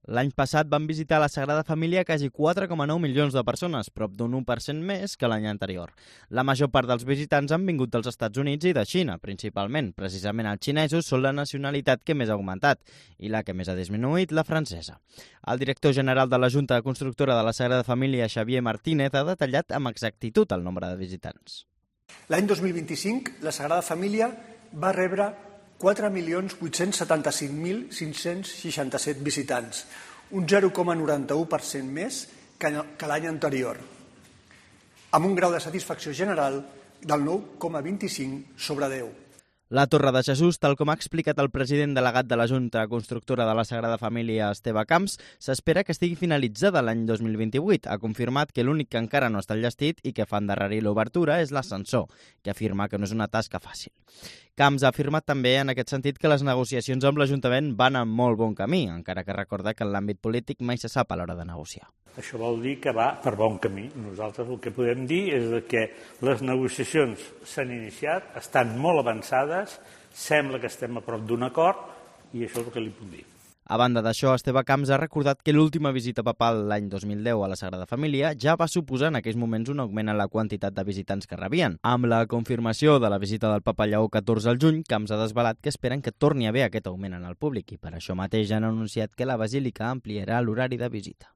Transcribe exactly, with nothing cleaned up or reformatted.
L'any passat van visitar la Sagrada Família quasi quatre coma nou milions de persones, prop d'un u per cent més que l'any anterior. La major part dels visitants han vingut dels Estats Units i de Xina, principalment. Precisament els xinesos són la nacionalitat que més ha augmentat i la que més ha disminuït, la francesa. El director general de la Junta Constructora de la Sagrada Família, Xavier Martínez, ha detallat amb exactitud el nombre de visitants. L'any dos mil vint-i-cinc, la Sagrada Família va rebre quatre milions vuit-cents setanta-cinc mil cinc-cents seixanta-set visitants, un zero coma noranta-u per cent més que l'any anterior, amb un grau de satisfacció general del nou coma vint-i-cinc sobre deu. La Torre de Jesús, tal com ha explicat el president delegat de la Junta Constructora de la Sagrada Família, Esteve Camps, s'espera que estigui finalitzada l'any dos mil vint-i-vuit. Ha confirmat que l'únic que encara no està enllestit i que fa endarrerir l'obertura és l'ascensor, que afirma que no és una tasca fàcil. Camps ha afirmat també en aquest sentit que les negociacions amb l'Ajuntament van en molt bon camí, encara que recorda que en l'àmbit polític mai se sap a l'hora de negociar. Això vol dir que va per bon camí. Nosaltres el que podem dir és que les negociacions s'han iniciat, estan molt avançades, sembla que estem a prop d'un acord i això és el que li puc dir. A banda d'això, Esteve Camps ha recordat que l'última visita papal l'any dos mil deu a la Sagrada Família ja va suposar en aquells moments un augment en la quantitat de visitants que rebien. Amb la confirmació de la visita del papa Lleó catorze al juny, Camps ha desvelat que esperen que torni a haver aquest augment en el públic i per això mateix han anunciat que la basílica ampliarà l'horari de visita.